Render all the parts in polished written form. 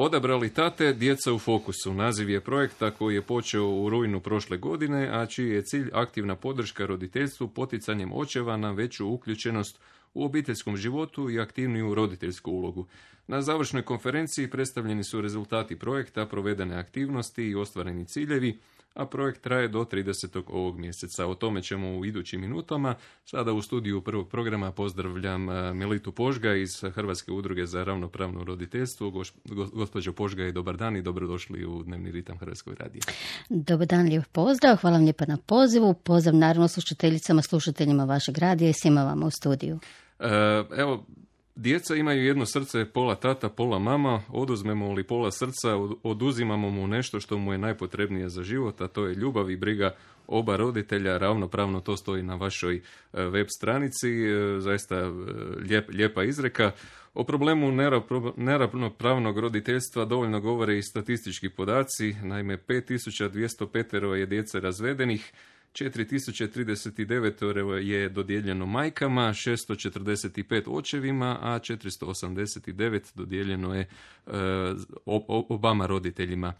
Odabrali tate, djeca u fokusu. Naziv je projekta koji je počeo u rujnu prošle godine, a čiji je cilj aktivna podrška roditeljstvu poticanjem očeva na veću uključenost u obiteljskom životu i aktivniju roditeljsku ulogu. Na završnoj konferenciji predstavljeni su rezultati projekta, provedene aktivnosti i ostvareni ciljevi, a projekt traje do 30. ovog mjeseca. O tome ćemo u idućim minutama. Sada u studiju prvog programa pozdravljam Melitu Požgaj iz Hrvatske udruge za ravnopravno roditeljstvo. Gospođo Požgaj, dobar dan i dobrodošli u Dnevni ritam Hrvatskog radija. Dobar dan, lijep pozdrav. Hvala vam lijepa na pozivu. Pozdrav naravno slušateljicama, slušateljima vašeg radija i svima vama u studiju. Evo, djeca imaju jedno srce, pola tata, pola mama. Oduzmemo li pola srca, oduzimamo mu nešto što mu je najpotrebnije za život, a to je ljubav i briga oba roditelja. Ravnopravno to stoji na vašoj web stranici. Zaista lijepa izreka. O problemu neravnopravnog roditeljstva dovoljno govore i statistički podaci. Naime, 5205 je djece razvedenih, 4039 je dodijeljeno majkama, 645 očevima, a 489 dodijeljeno je obama roditeljima.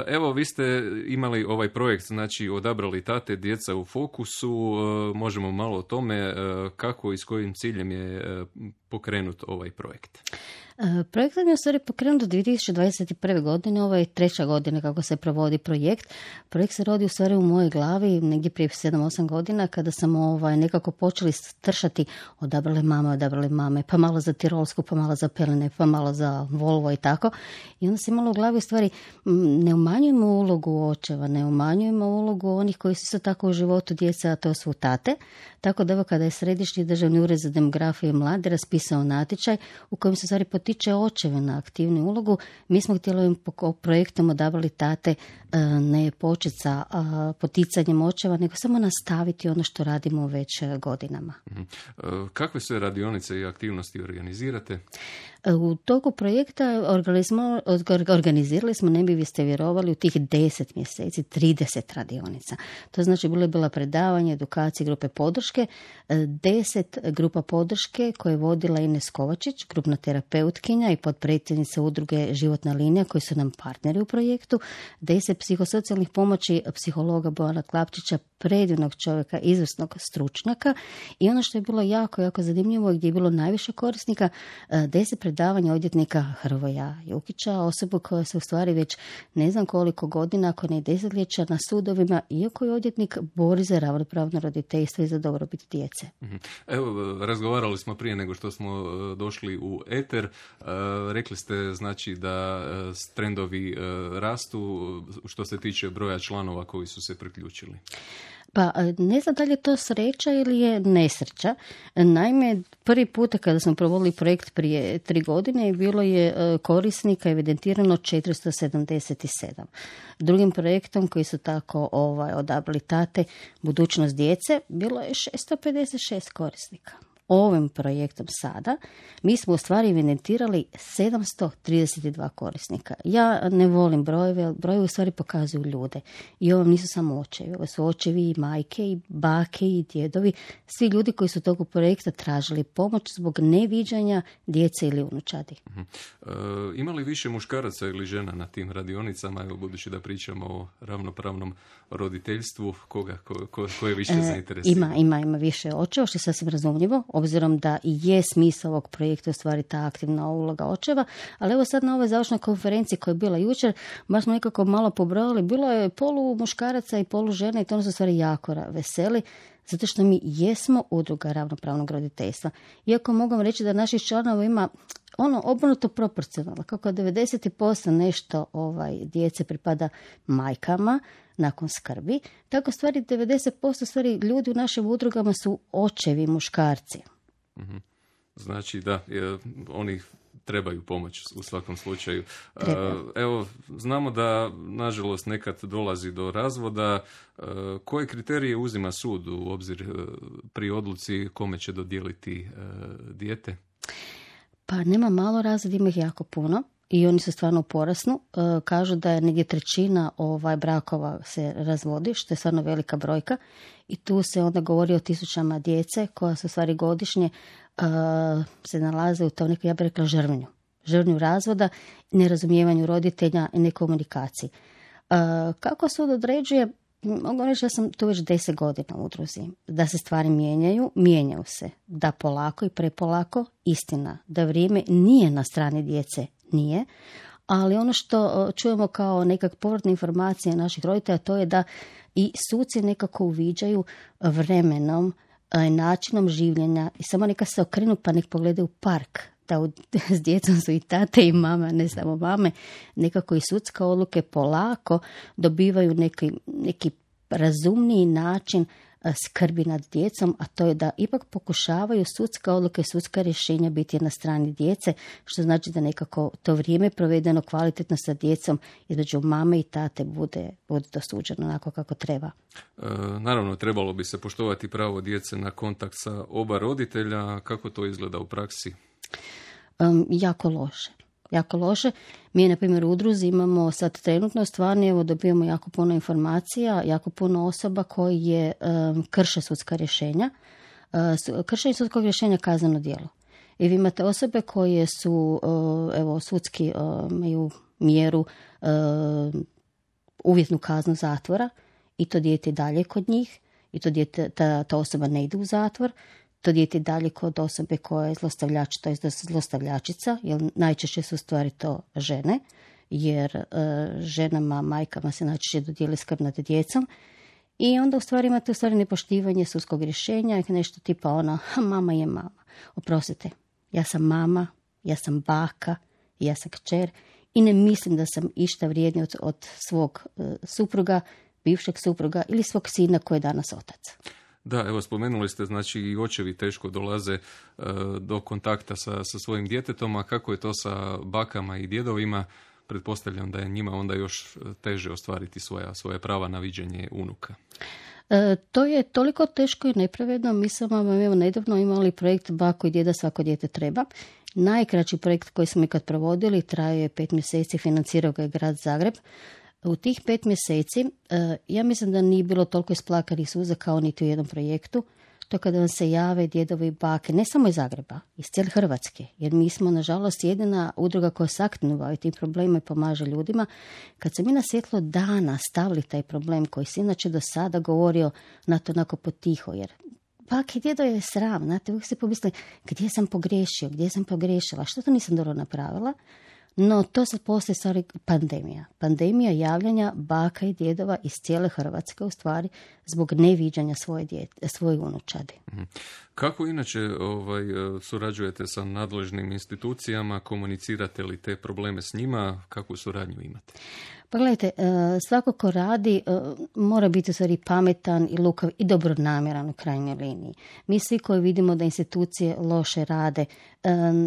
Evo, vi ste imali ovaj projekt, znači odabrali tate, djeca u fokusu. Možemo malo o tome kako i s kojim ciljem je pokrenut ovaj projekt. Projekt je u stvari pokrenut do 2021. godine, ovo je 3. godina kako se provodi projekt. Projekt se rodi u stvari u mojoj glavi negdje prije 7-8 godina kada sam nekako počeli stršati odabrali mame, pa malo za Tirolsku, pa malo za Peline, pa malo za Volvo i tako. I onda sam imala u glavi u stvari ne umanjujemo ulogu očeva, ne umanjujemo ulogu onih koji su isto tako u životu djeca, a to su tate. Tako da evo kada je Središnji državni ured za demografiju i mlade raspisao natječaj u kojem se stvari potiče očeve na aktivnu ulogu, mi smo htjeli ovim projektom odabrali tate ne početi sa poticanjem očeva, nego samo nastaviti ono što radimo već godinama. Kakve sve radionice i aktivnosti organizirate? U toku projekta organizirali smo, ne bi vi ste vjerovali, u tih 10 mjeseci 30 radionica. To znači bilo je bila predavanje, edukacije, grupe podrške, 10 grupa podrške koje je vodila Ines Kovačić, grupna terapeutkinja i potpredsjednica udruge Životna linija koji su nam partneri u projektu, 10 psihosocijalnih pomoći psihologa Bojana Klapčića, predivnog čovjeka, izvrsnog stručnjaka, i ono što je bilo jako, jako zanimljivo gdje je bilo najviše korisnika, 10 predavanja odvjetnika Hrvoja Jukića, osobu koja se u stvari već ne znam koliko godina, ako ne desetljeća, na sudovima, iako je odvjetnik, bori za ravnopravno roditeljstvo i za dobrobit djece. Evo, razgovarali smo prije nego što smo došli u eter. Rekli ste znači da trendovi rastu što se tiče broja članova koji su se priključili. Pa ne znam da li je to sreća ili je nesreća. Naime, prvi puta kada smo provodili projekt prije 3 godine bilo je korisnika evidentirano 477. Drugim projektom koji su tako odabrali tate, budućnost djece, bilo je 656 korisnika. Ovim projektom sada mi smo u stvari evidentirali 732 korisnika. Ja ne volim brojeve, brojevi u stvari pokazuju ljude. I ovo nisu samo očevi, ovo su očevi i majke i bake i djedovi, svi ljudi koji su toku projekta tražili pomoć zbog neviđanja djece ili unučadi. Ima li više muškaraca ili žena na tim radionicama, evo, budući da pričamo o ravnopravnom roditeljstvu, ko je više zainteresiran? Ima više očeva, što je sasvim razumljivo, obzirom da i je smisao ovog projekta u stvari ta aktivna uloga očeva, ali evo sad na ovoj završnoj konferenciji koja je bila jučer, baš smo nekako malo pobrojali, bilo je polu muškaraca i polu žena i to nas u stvari jako veseli, zato što mi jesmo udruga ravnopravnog roditeljstva. Iako mogu reći da naših članova ima obrnuto proporcionalno, kako 90% nešto djece pripada majkama nakon skrbi, tako stvari 90% stvari ljudi u našim udrugama su očevi, muškarci. Znači da, oni trebaju pomoć u svakom slučaju. Evo, znamo da nažalost nekad dolazi do razvoda. Koje kriterije uzima sud u obzir pri odluci kome će dodijeliti dijete? Pa nema malo razvoda, ima ih jako puno. I oni su stvarno u porastu. Kažu da je negdje 1/3 brakova se razvodi, što je stvarno velika brojka. I tu se onda govori o 1000 djece koja su stvari godišnje se nalaze u tom nekoj, ja bih rekla, žrvnju. žrnju razvoda, nerazumijevanju roditelja i nekomunikaciji. Kako sud određuje? Mogu reći da sam tu već 10 godina u udruzi. Da se stvari mijenjaju se. Da polako i prepolako, istina. Da vrijeme nije na strani djece, nije. Ali ono što čujemo kao nekak povratne informacije naših roditelja, to je da i suci nekako uviđaju vremenom, načinom življenja i samo neka se okrenu pa nek pogledaju park. Da s djecom su i tate i mama, ne samo mame, nekako i sudske odluke polako dobivaju neki razumniji način skrbi nad djecom, a to je da ipak pokušavaju sudske odluke, sudska rješenja biti na strani djece, što znači da nekako to vrijeme provedeno kvalitetno sa djecom između mame i tate bude dosuđeno onako kako treba. Naravno, trebalo bi se poštovati pravo djece na kontakt sa oba roditelja. Kako to izgleda u praksi? Jako loše. Mi, na primjer, u udruzi imamo sad trenutno stvarno, evo, dobijamo jako puno informacija, jako puno osoba koji krše sudska rješenja. Kršenje sudskog rješenja kazneno djelo. I vi imate osobe koje su, evo, sudski imaju mjeru uvjetnu kaznu zatvora i to dijete dalje kod njih i to dijete, ta osoba ne ide u zatvor. To dijete dalje kod osobe koja je zlostavljač, to je zlostavljačica, jer najčešće su stvari to žene, jer ženama, majkama se najčešće dodijeli skrb nad djecom. I onda u stvari imate nepoštivanje sudskog rješenja, nešto tipa mama je mama. Oprostite, ja sam mama, ja sam baka, ja sam kćer i ne mislim da sam išta vrijedniji od svog supruga, bivšeg supruga ili svog sina koji je danas otac. Da, evo, spomenuli ste, znači i očevi teško dolaze do kontakta sa svojim djetetom, a kako je to sa bakama i djedovima? Pretpostavljam da je njima onda još teže ostvariti svoja prava na viđenje unuka. To je toliko teško i nepravedno. Mi smo nedavno imali projekt Bako i djeda svako dijete treba. Najkraći projekt koji smo ikad provodili, trajao je 5 mjeseci, financirao ga je grad Zagreb. U tih 5 mjeseci, ja mislim da nije bilo toliko isplakanih suza kao niti u jednom projektu. To kada vam se jave djedovi i bake, ne samo iz Zagreba, iz cijele Hrvatske, jer mi smo, nažalost, jedina udruga koja se aktivno bavi tim problemima i pomaže ljudima. Kad se mi na svjetlo dana stavili taj problem koji se inače do sada govorio na to onako potiho, jer bake i djedo je sram, znate, uvijek se pomisli gdje sam pogriješila, što to nisam dobro napravila. No, to sad postoji stvari pandemija javljanja baka i djedova iz cijele Hrvatske, u stvari, zbog neviđanja svoje unučadi. Kako inače surađujete sa nadležnim institucijama, komunicirate li te probleme s njima, kakvu suradnju imate? Pa gledajte, svako ko radi mora biti u stvari pametan i lukav i dobronamjeran u krajnjoj liniji. Mi svi koji vidimo da institucije loše rade,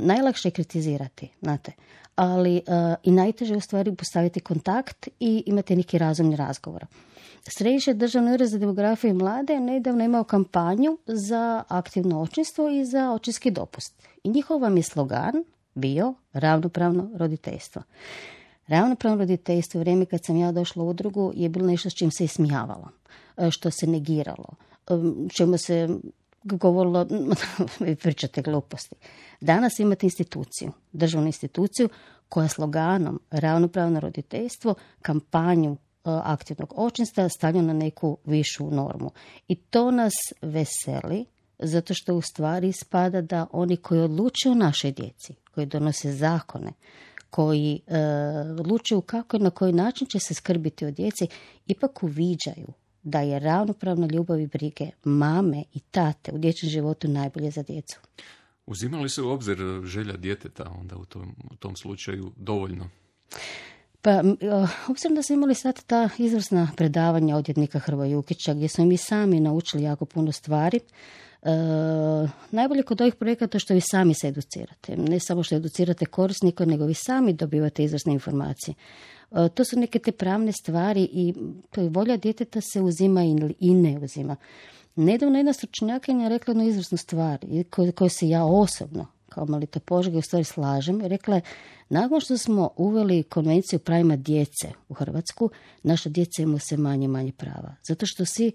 najlakše je kritizirati, znate. Ali i najteže je u stvari postaviti kontakt i imati neki razumni razgovor. Središnji državni ured za demografiju i mlade nedavno imao kampanju za aktivno očinstvo i za očinski dopust. I njihov vam je slogan bio ravnopravno roditeljstvo. Ravnopravno roditeljstvo u vrijeme kad sam ja došla u udrugu je bilo nešto s čim se ismijavalo, što se negiralo, čemu se govorilo, pričate gluposti. Danas imate instituciju, državnu instituciju koja sloganom ravnopravno roditeljstvo, kampanju aktivnog očinstva stavlja na neku višu normu. I to nas veseli, zato što u stvari ispada da oni koji odlučuju o našoj djeci, koji donose zakone, koji odlučuju kako i na koji način će se skrbiti o djeci, ipak uviđaju da je ravnopravna ljubav i brige mame i tate u dječjem životu najbolje za djecu. Uzimali se u obzir želja djeteta onda u tom slučaju dovoljno? Pa, obzirom da smo imali sad ta izvrsna predavanja odvjetnika Hrvoja Jukića, gdje smo mi sami naučili jako puno stvari, najbolje kod ovih projekata je što vi sami se educirate. Ne samo što educirate korisnika, nego vi sami dobivate izvrsne informacije. To su neke te pravne stvari i volja djeteta se uzima i ne uzima. Nedavno jedna stručnjakinja je rekla jednu izvrsnu stvar koju se ja osobno kao Melita Požega u stvari slažem. Rekla je, nakon što smo uveli konvenciju o pravima djece u Hrvatsku, naša djeca imaju sve manje prava. Zato što svi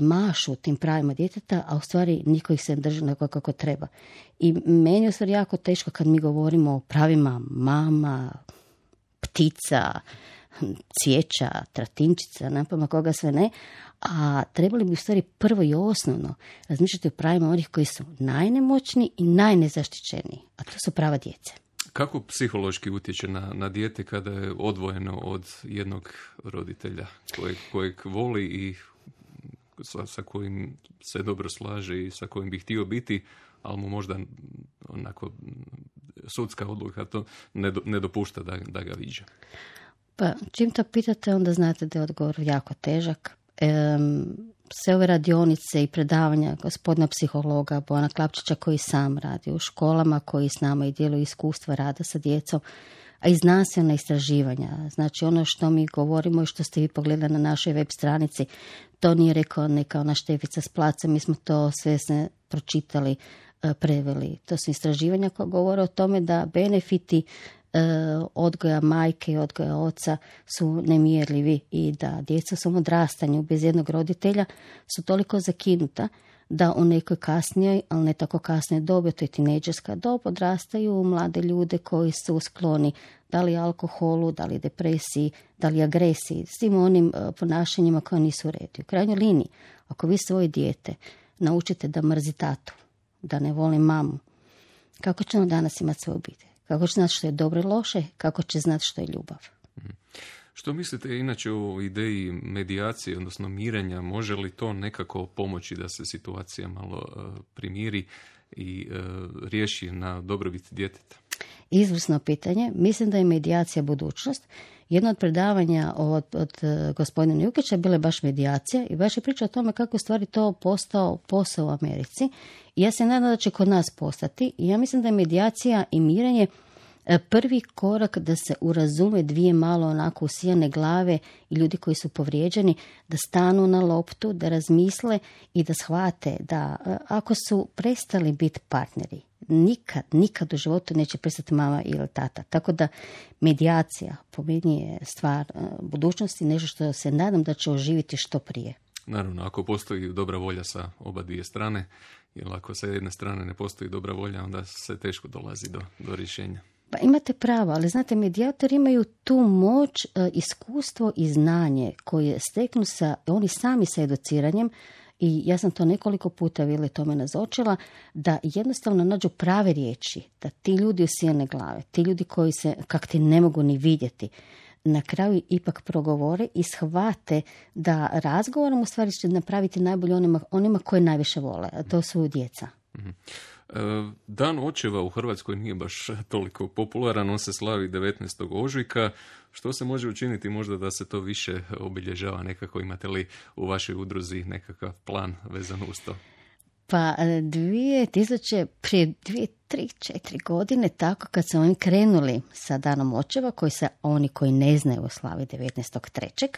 mašu tim pravima djeteta, a u stvari niko ih se ne drži onako kako treba. I meni je u stvari jako teško kad mi govorimo o pravima mama, ptica, cvijeća, tratinčica, napama koga sve ne, a trebali bi u stvari prvo i osnovno razmišljati o pravima onih koji su najnemoćniji i najnezaštićeniji, a to su prava djece. Kako psihološki utječe na dijete kada je odvojeno od jednog roditelja kojeg voli i sa kojim se dobro slaže i sa kojim bi htio biti, ali mu možda onako sudska odluka to ne dopušta da ga viđa? Pa čim to pitate, onda znate da je odgovor jako težak. Sve ove radionice i predavanja gospodina psihologa Bojana Klapčića koji sam radi u školama, koji s nama i djeluje iskustva rada sa djecom, a i znanstvena istraživanja. Znači ono što mi govorimo i što ste vi pogledali na našoj web stranici, to nije rekao neka ona Štefica s placa, mi smo to sve pročitali, preveli. To su istraživanja koja govore o tome da benefiti odgoja majke i odgoja oca su nemjerljivi i da djeca u svom odrastanju bez jednog roditelja su toliko zakinuta da u nekoj kasnijoj, ali ne tako kasnijoj dobi, to je tinejdžerska dob, odrastaju mlade ljude koji su skloni da li alkoholu, da li depresiji, da li agresiji, svim onim ponašanjima koja nisu u redu. U krajnjoj liniji, ako vi svoje dijete naučite da mrzi tatu, da ne voli mamu, kako će on danas imati svoju obitelj? Kako će znati što je dobro i loše, kako će znati što je ljubav. Što mislite inače o ideji medijacije, odnosno mirenja? Može li to nekako pomoći da se situacija malo primiri i riješi na dobrobit djeteta? Izvrsno pitanje. Mislim da je medijacija budućnost. Jedno od predavanja od gospodina Jukića bila je baš medijacija i baš je priča o tome kako je stvari to postao posao u Americi. I ja se nadam da će kod nas postati. I ja mislim da je medijacija i mirenje prvi korak da se urazume dvije malo onako usijane glave i ljudi koji su povrijeđeni, da stanu na loptu, da razmisle i da shvate da ako su prestali biti partneri, nikad u životu neće prestati mama ili tata. Tako da medijacija po meni je stvar budućnosti, nešto što se nadam da će oživiti što prije. Naravno, ako postoji dobra volja sa oba dvije strane, jer ako sa jedne strane ne postoji dobra volja, onda se teško dolazi do rješenja. Pa imate pravo, ali znate, medijatori imaju tu moć, iskustvo i znanje koje steknu oni sami sa educiranjem, i ja sam to nekoliko puta Vili tome nazočila, da jednostavno nađu prave riječi, da ti ljudi usijane glave, ti ljudi koji se kak ti ne mogu ni vidjeti, na kraju ipak progovore i shvate da razgovorom u stvari će napraviti najbolje onima koje najviše vole, a to su djeca. Dan očeva u Hrvatskoj nije baš toliko popularan, on se slavi 19. ožujka. Što se može učiniti možda da se to više obilježava nekako? Imate li u vašoj udruzi nekakav plan vezan uz to? Pa prije 3-4 godine, tako kad su oni krenuli sa danom očeva, oni koji ne znaju slavi 19.3.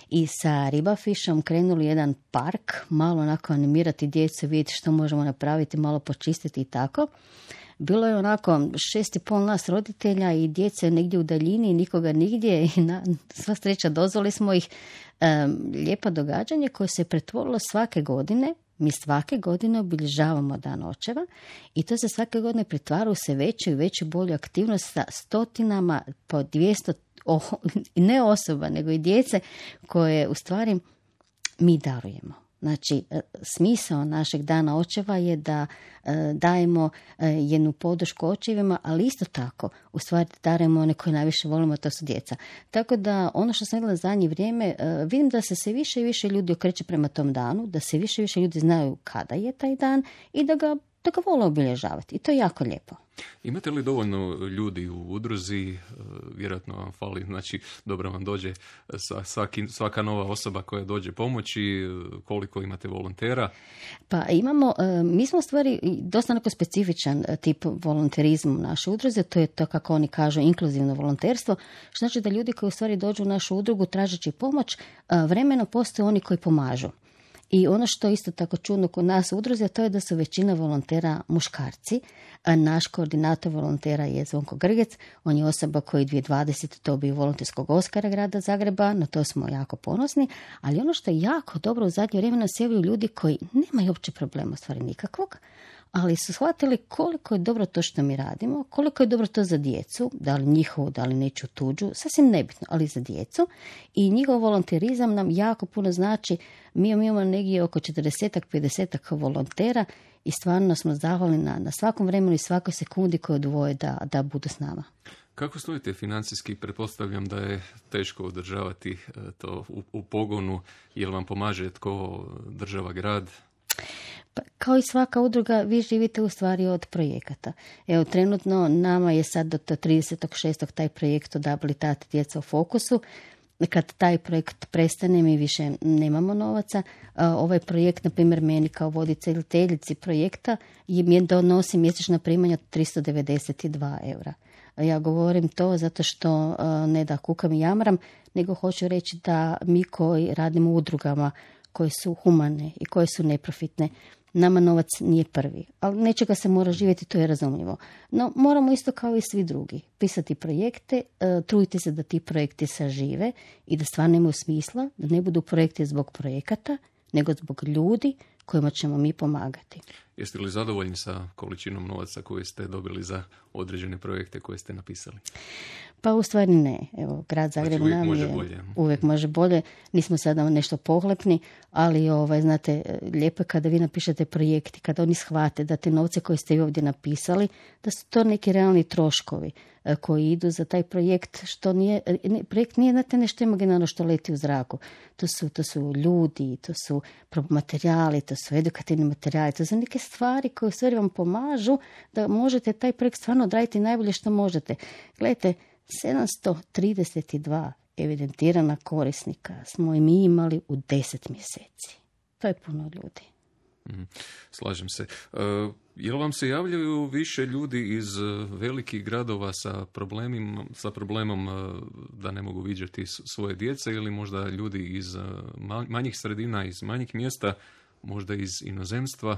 i sa Ribafišom krenuli jedan park, malo onako animirati djecu, vidjeti što možemo napraviti, malo počistiti i tako. Bilo je onako 6,5 nas roditelja i djece negdje u daljini, nikoga nigdje i sva sreća dozvoli smo ih. Lijepo događanje koje se pretvorilo svake godine. Mi svake godine obilježavamo dan očeva i to se svake godine pretvara u sve veću i veću bolju aktivnost sa stotinama po 200, ne osoba, nego i djece koje u stvari mi darujemo. Znači, smisao našeg dana očeva je da dajemo jednu podršku očevima, ali isto tako, u stvari darujemo one koje najviše volimo, to su djeca. Tako da, ono što sam vidjela zadnje vrijeme, vidim da se sve više i više ljudi okreće prema tom danu, da se više i više ljudi znaju kada je taj dan i da ga vole obilježavati. I to je jako lijepo. Imate li dovoljno ljudi u udruzi? Vjerojatno vam fali, znači dobro vam dođe svaka nova osoba koja dođe pomoći. Koliko imate volontera? Pa imamo, mi smo u stvari dosta neko specifičan tip volonterizma u našoj udruzi, to je to kako oni kažu inkluzivno volonterstvo, što znači da ljudi koji u stvari dođu u našu udrugu tražeći pomoć, vremeno postoje oni koji pomažu. I ono što isto tako čudno kod nas u udruzi, to je da su većina volontera muškarci. A naš koordinator volontera je Zvonko Grgec, on je osoba koji 2020. dobio volonterskog Oskara grada Zagreba, na to smo jako ponosni, ali ono što je jako dobro u zadnje vrijeme nas javljaju ljudi koji nemaju uopće problema, stvari nikakvog, ali su shvatili koliko je dobro to što mi radimo, koliko je dobro to za djecu, da li njihovu, da li nečiju tuđu, sasvim nebitno, ali za djecu. I njihov volonterizam nam jako puno znači. Mi imamo negdje oko 40-50 volontera i stvarno smo zahvalni na svakom vremenu i svakoj sekundi koju odvoje da budu s nama. Kako stojite financijski? Pretpostavljam da je teško održavati to u pogonu. Jel vam pomaže tko, država, grad? Pa, kao i svaka udruga, vi živite u stvari od projekata. Evo, trenutno nama je sad do 36. taj projekt Odabili tate djeca u fokusu. Kad taj projekt prestane, mi više nemamo novaca. Ovaj projekt, na primjer, meni kao voditeljici projekta mi donosi mjesečna primanja 392 eura. Ja govorim to zato što ne da kukam i jamram, nego hoću reći da mi koji radimo u udrugama koje su humane i koje su neprofitne, nama novac nije prvi, ali nečega se mora živjeti, to je razumljivo. No, moramo isto kao i svi drugi pisati projekte, truditi se da ti projekti sažive i da stvarno imaju smisla, da ne budu projekti zbog projekata, nego zbog ljudi kojima ćemo mi pomagati. Jeste li zadovoljni sa količinom novaca koje ste dobili za određene projekte koje ste napisali? Pa u stvari ne. Evo, grad Zagreb nam uvijek može bolje. Nismo sada nešto pohlepni, ali znate, lijepo je kada vi napišete projekti, kada oni shvate da te novce koje ste vi ovdje napisali, da su to neki realni troškovi koji idu za taj projekt, što nije, projekt nije, znate, nešto imaginarno što leti u zraku. To su ljudi, to su materijali, to su edukativni materijali, to su neke stvari koje u stvari vam pomažu da možete taj projekt stvarno odraditi najbolje što možete. Gledajte, 732 evidentirana korisnika smo i mi imali u 10 mjeseci. To je puno ljudi. Slažem se. Jel vam se javljaju više ljudi iz velikih gradova sa problemom da ne mogu viđati svoje djece ili možda ljudi iz manjih sredina, iz manjih mjesta, možda iz inozemstva?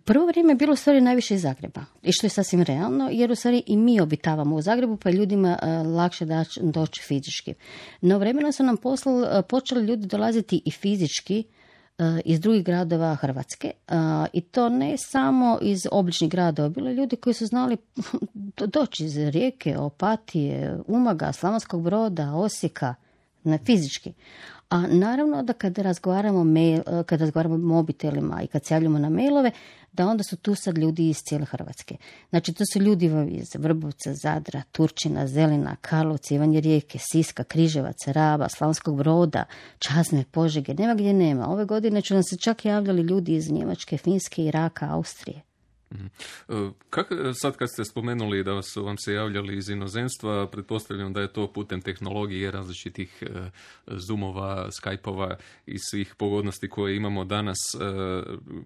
Prvo vrijeme je bilo u stvari najviše iz Zagreba. I što je sasvim realno, jer u stvari i mi obitavamo u Zagrebu, pa je ljudima lakše doći fizički. No vremenom su nam počeli ljudi dolaziti i fizički iz drugih gradova Hrvatske. I to ne samo iz obližnjih gradova. Bilo je ljudi koji su znali doći iz Rijeke, Opatije, Umaga, Slavonskog Broda, Osijeka, fizički. A naravno da kada razgovaramo mobitelima i kad se javljamo na mailove, da onda su tu sad ljudi iz cijele Hrvatske. Znači, to su ljudi iz Vrbovca, Zadra, Turčina, Zelina, Karlovca, Ivanje Rijeke, Siska, Križevaca, Raba, Slavonskog Broda, Čazme, Požege, nema gdje nema. Ove godine će nam se čak javljali ljudi iz Njemačke, Finske, Iraka, Austrije. Sad kad ste spomenuli da su vam se javljali iz inozemstva, pretpostavljam da je to putem tehnologije, različitih Zoomova, Skypeova i svih pogodnosti koje imamo danas.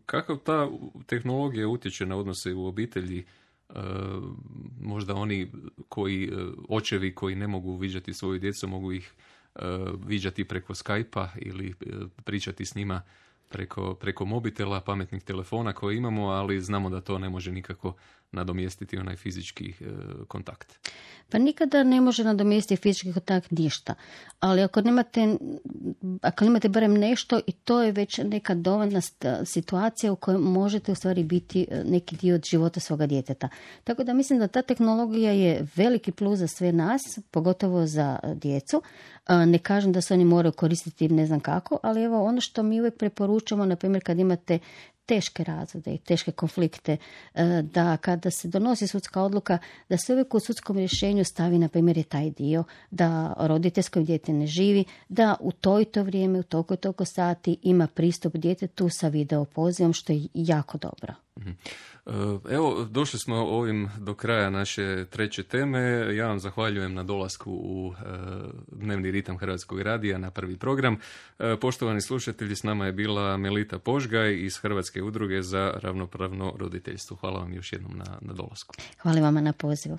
Kako ta tehnologija utječe na odnose u obitelji? Možda oni očevi koji ne mogu viđati svoju djecu, mogu ih viđati preko Skypea ili pričati s njima preko mobitela, pametnih telefona koje imamo, ali znamo da to ne može nikako nadomjestiti onaj fizički kontakt. Pa nikada ne može nadomjestiti fizički kontakt ništa, ali ako imate barem nešto, i to je već neka dovoljna situacija u kojoj možete u stvari biti neki dio od života svoga djeteta. Tako da mislim da ta tehnologija je veliki plus za sve nas, pogotovo za djecu. Ne kažem da se oni moraju koristiti ne znam kako, ali evo ono što mi uvijek preporučamo, na primjer kad imate teške razvode i teške konflikte, da kada se donosi sudska odluka, da se uvijek u sudskom rješenju stavi, na primjer, taj dio da roditeljsko dijete ne živi, da u to vrijeme, u toliko sati ima pristup djetetu sa video pozivom, što je jako dobro. Evo, došli smo ovim do kraja naše treće teme. Ja vam zahvaljujem na dolasku u dnevni ritam Hrvatskog radija na prvi program. Poštovani slušatelji, s nama je bila Melita Požgaj iz Hrvatske udruge za ravnopravno roditeljstvo. Hvala vam još jednom na dolasku. Hvala vama na pozivu.